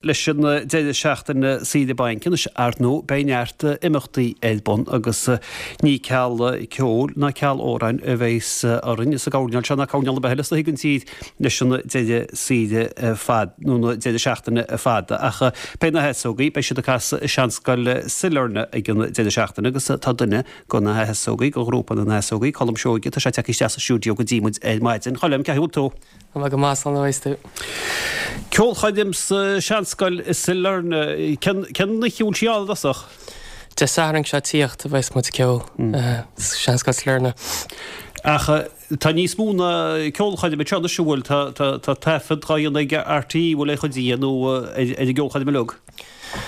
Leis an deireadh seachtaine saoire bainc anois, ar ndóigh, beidh neart imeachtaí ar bun agus ní ceal ceoil ná ceal amhráin a bheas orainn sa gcoirnéal seo ná coirnéal ar bith eile is dóichí den tír leis an deireadh saoire fad nó na deireadh seachtaine fada. Ach beidh na hEasógaí, beidh siad ag casadh i Seanscoil Sailearna ag an deireadh seachtaine agus tá duine de na hEasógaí, de ghrúpa na nEasógaí, Colm Seoige, tá sé tagtha isteach sa stiúideo go dtí muid ar maidin. Choilm, cén chaoi a bhfuil tú? Tá mé go maith, slán a tú. Ceolchoirm sa Seanscoil i Sailearna. Cén oíche a bhfuil sí ann i dtosach? Dé Sathairn seo ag tíocht a bheas muid ag ceol sa Seanscoil Sailearna. Ach tá níos mó ná ceolchoirm anseo anois, an bhfuil? Tá taifead dhá dhéanamh ag RTÉ, bhfuil ar chuid de nó ar an gceolchoirm uilig?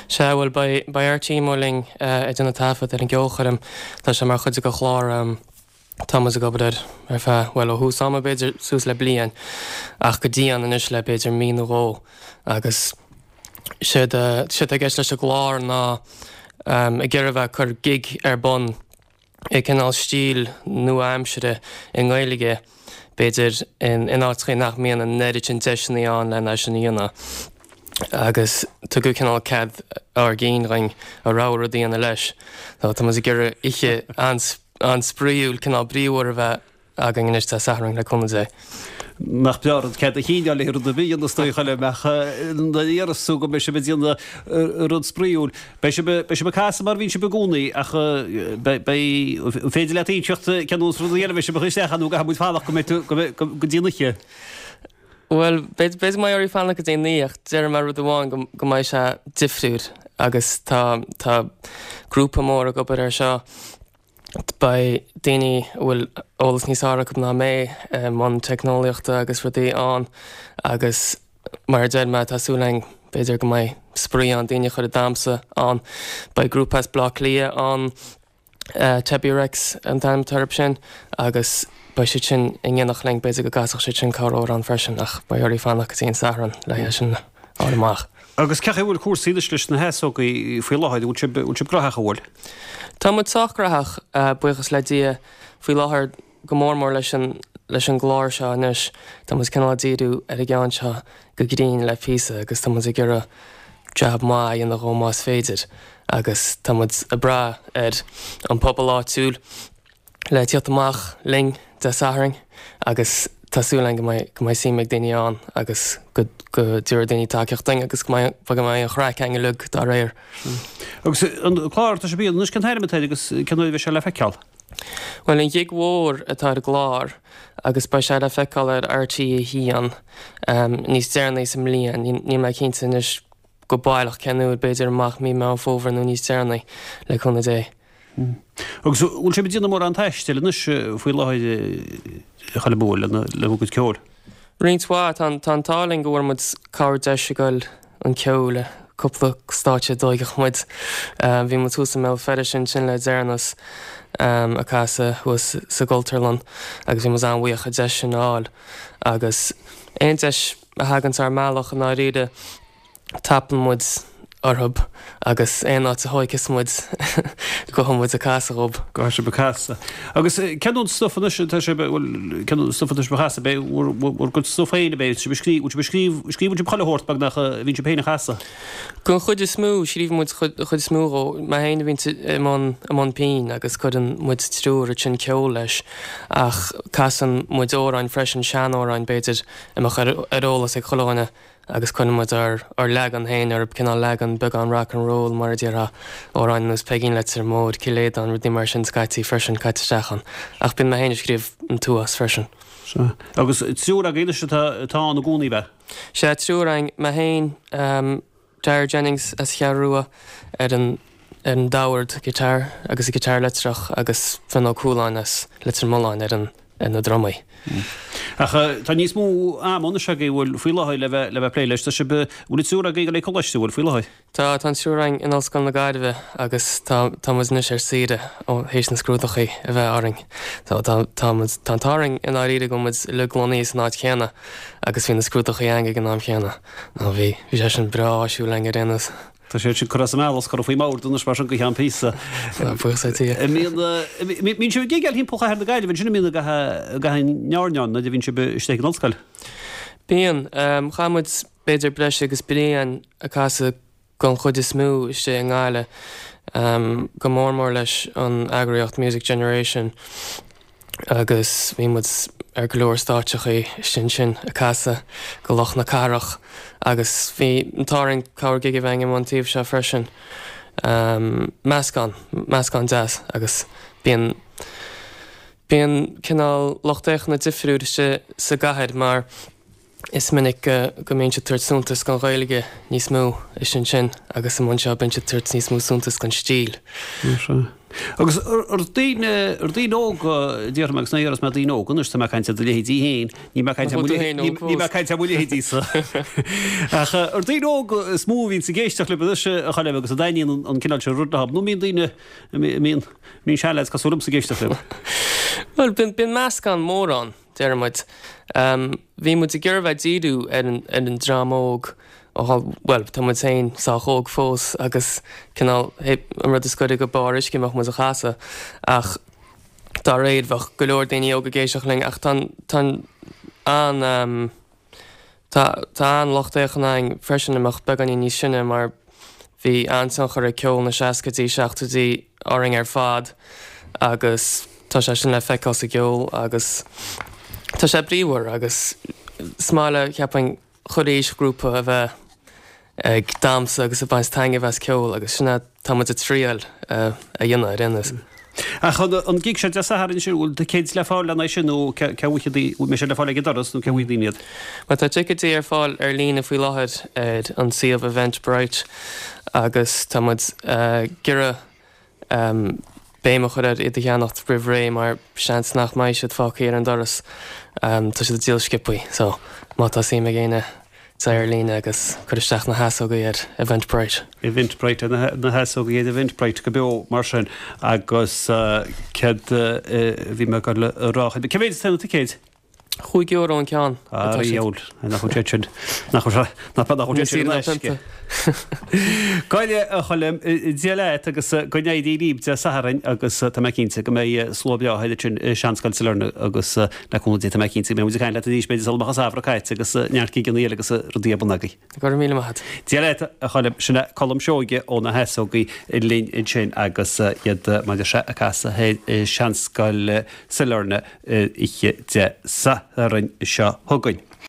Sea, bhuel, beidh RTÉ amuigh linn ag déanamh taifead ar an gceolchoirm. Tá sé mar chuid de chlár. Tá muid ag obair air ar feadh, bhuel, ó thús ama b'fhéidir suas le bliain ach go dian anois le b'fhéidir mí nó dhó agus séard atá i gceist leis an gclár ná ag iarraidh a bheith ag cur gig ar bun i cineál stíl nua-aimsire i nGaeilge b'fhéidir in áiteachaí nach mbíonn an oiread sin deiseanna ann len é sin a dhéanamh agus tugadh cineál cead ár gcinn dhuinn a rogha rud a dhéanamh leis. Tá muid ag iarraidh oíche an-spraíúil, cineál bríomhar a bheith againn anois Dé Sathairn, le cúnamh Dé. Nach breá an rud cead a chinn a fháil le rud ar bith a dhéanamh is dóigh a mbeadh nuair a iarras tú go mbeidh sibh ag déanamh rud spraíúil. Beidh sibh, beidh sibh ag casadh mar a bhíonn sibh i gcónaí ach beidh, beidh, an féidir leat inseacht cén nós rudaí eile a bheidh sibh ag cur isteach ann nó an gcaithfidh muid fanacht go mbeidh tú, go mbeidh, go dtí an oíche? Bhuel, b'fhéidir go mbeidh oraibh fanacht go dtí an oíche ach déarfaidh mé rud amháin go, go mbeidh sé difriúil agus tá, tá grúpa mór ag obair air seo. Beidh daoine a bhfuil eolas níos fearr acu ná mé i mbun teicneolaíochta agus rudaí ann agus mar a deir mé tá súil againn b'fhéidir go mbeidh spraoi ann, daoine a chur ag damhsa ann. Beidh grúpa as Bleá Cliath ann, Tebi Rex an t-ainm atá orthu sin agus beidh siad sin in éineacht linn, b'fhéidir go gcasfadh siad sin corr-amhrán freisin ach beidh oraibh fanacht go dtí an Satharn le é sin a fháil amach. Agus cén chaoi a bhfuil cúrsaí anois leis na hEasógaí faoi láthair, an bhfuil sibh, bhfuil sibh graitheach, an bhfuil? Tá muid sách graitheach, buíochas le Dia, faoi láthair, go mór mór leis an leis an gclár seo anois. Tá muid cineál ag díriú ar an gceann seo go grinn le píosa agus tá muid ag iarraidh jab maith a dhéanamh dhó más féidir agus tá muid ag brath ar an pobal áitiúil le tíocht amach linn Dé Sathairn agus tá súil againn go mbeidh go mbeidh suim ag daoine ann agus go go dtabharfaidh daoine tacaíocht dúinn agus go mbeidh go mbeidh an chraic againn uilig dá réir. Agus an clár atá sibh a dhéanamh anois, cén t-ainm atá air agus cén uair a bheidh sé le feiceáil? Bhuel, an Ghig Mhór atá ar an gclár agus beidh sé le feiceáil ar RTÉ 1 níos deireanaí sa mbliain, níl mé cinnte anois go baileach cén uair, b'fhéidir amach mí Meán Fómhair nó níos deireanaí, le cúnamh Dé. Agus an bhfuil sibh ag déanamh mórán taistil anois faoi láthair a Choilm, an bhfuil, le bhur gcuid ceoil? Roinnt mhaith. Tá an t-ádh linn go bhfuair muid cabhair deis ag goil chun ceoil i cúpla stáitse a dtóigeadh muid. Bhí muid thuas i mBéal Feirste ansin le deireanas ag casadh thuas sa gCultúrlann agus bhí muid an-bhuíoch an deis sin a fháil. Agus aon deis a thaganns ár mbealach i ndáiríre, tapaíonn muid orthu agus aon áit a thóigfeas muid gabhfaidh muid ag casadh dhób. Gabhfaidh sibh ag casadh. Agus cén an stuif anois atá sibh, bhuel, cén an stuif atá sibh a chasadh, b'é bhur, bhur gcuid stuif féin ab é, sibh a scríobh, bhfuil sibh a scríobh, scríobhann sibh chuile shórt beagnach a bhíonn sibh féin a chasadh? Don chuid is mó, scríobhann muid an chuid is mó dhó. Mé féin a bhíonn i mbun, i mbun pinn agus cuireann muid triúr ansin ceol leis ach casann muid amhráin freisin, seanamhráin b'fhéidir a mbeadh ar, ar eolas ag chuile dhuine. agus cuireann muid ár leagan féin orthu, cineál leagan beagán rock and roll mar a déarfá, amhráin ar nós Peigín Leitir Móir, Cill Aodáin, rudaí mar sin scaití freisin, caite isteach ann. Ach bíonn mé féin ag scríobh an t-uafás freisin. Sea. Agus triúr agaibh anois atá atá ann i gcónaí, ab ea? Sea, triúr againn, mé féin, Dara Jennings as an Cheathrú Rua ar an ar an dordabhar, guitar, agus an guitar leictreach agus Fionn Ó Cualáin as Leitir Mealláin ar an ar na drumaí. Ach tá níos mó ama anois agaibh, bhfuil, faoi láthair le bheith le bheith ag plé leis. Tá sibh, bhfuil an triúr agaibh ag dul ag coláiste, bhfuil, faoi láthair? Tá, tá an triúr againn in Ollscoil na Gaillimhe agus tá tá muid anois ar saoire ó théis na scrúdachaí a bheith orainn. So tá tá muid tá an t-ádh orainn i ndáiríre go bhfuil muid uilig lonnaithe san áit chéanna agus bhí na scrúdachaí againn ag an am chéanna. Nó bhí bhí sé sin breá áisiúil againn ar aon nós. Tá sé sin curtha as an mbealach is curtha faoi mbord anois mar sin go ceann píosa. Buíochas le Dia. An mbíonn sibh ag gigeáil thimpeall chathair na Gaillimhe ansin an mbíonn i gcaitheamh an airneáin nuair a bhíonn sibh istigh ag an ollscoil? Bíonn. Chaith muid. b'fhéidir breis agus bliain ag casadh don chuid is mó istigh i nGaillimh, go mór mór leis an eagraíocht Music Generation agus bhí muid ar go leor stáitseachaí istigh ansin ag casadh go lucht na cathrach agus bhí an t-ádh orainn corr gig a bheith againn an taobh seo freisin. Meascán, meascán deas agus bíonn, bíonn cineál lucht féachana difriúil istigh sa gcathair mar, Is minic go mbíonn siad ag tabhairt suntas don Ghaeilge níos mó istigh ansin agus amuigh anseo bíonn siad ag tabhairt níos mó suntas don stíl. Sea. Agus ar daoine, ar daoine óga, déarfaidh mé, agus ní dhéarfas mé daoine óga anois, tá mé ag caint ar do leithéidí féin, níl mé ag caint ar mo leithéidí, níl mé ag caint ar mo leithéidí-sa. Ach ar daoine óga is mó a bhíonns ag éisteacht libh anois, a Choilm, agus a dtaitníonn an cineál seo rud leo, nó mbíonn daoine, mbíonn, mbíonn seanleaids cosúil liomsa ag éisteacht libh? Bhuel, bíonn meascán mór ann. deir muid. Bhí muid ag iarraidh bheith ag díriú ar an dream óg, bhuel, tá muid féin sách óg fós agus cineál an rud is gaire go barr uisce a mbeadh muid a chasadh ach dá réir bheadh go leor daoine óga ag éisteacht linn ach tá tá an Tá an-lucht féachana againn freisin a mbeadh beagáinín níos sine mar bhí an-tionchar ag ceol na seascaidí, seachtóidí orainn ar fad agus tá sé sin le feiceáil sa gceol agus tá sé bríomhar agus is maith le, cheapfainn, chuile aoisghrúpa a bheith ag damhsa agus ag baint taitneamh as ceol agus sin é tá muid ag triail a dhéanamh ar aon nós. Ach an gig seo Dé Sathairn sin, bhfuil ticéid le fáil lena aghaidh sin nó cá bhfaighidh daoine, bhfuil sé le fáil ag an doras nó cá bhfaighidh daoine iad? Bhuel tá ticéidí ar fáil ar líne faoi láthair ar an suíomh Eventbrite agus tá muid ag iarraidh béim a chur ar iad a cheannacht roimh ré mar seans nach mbeidh siad fágtha ar an doras. Tá siad ag díol sciobthaí so má tá suim ag éinne téigh ar líne agus cuir isteach na heasógaí ar Eventbrite. Eventbrite, na heasógaí ar Eventbrite go beo mar sin agus céard a bhí mé ag dul a rá? Cé mhéad atá na ticéid? €5 an ceann atá siad. Nach bhfuil sé sin, nach bhfuil sé, nach bhfuil sé sin in aisce. Go deimhin, a Choilm, Dia leat agus go n-éirí libh Dé Sathairn agus tá mé cinnte go mbeidh slua breá thoir ansin i Seanscoil Sailearna agus le cúnamh Dé tá mé cinnte go mbeidh muid ag caint leat arís b'fhéidir sula mbeadh an samhradh caite agus neart gigeanna eile agus rudaí ar bun agaibh. Go raibh míle maith agat. Dia leat, a Choilm. Sin é Colm Seoighe ó na hEasógaí linn ansin agus iad mar a deir sé ag casadh thoir i Seanscoil Sailearna oíche Dé Sathairn seo chugainn.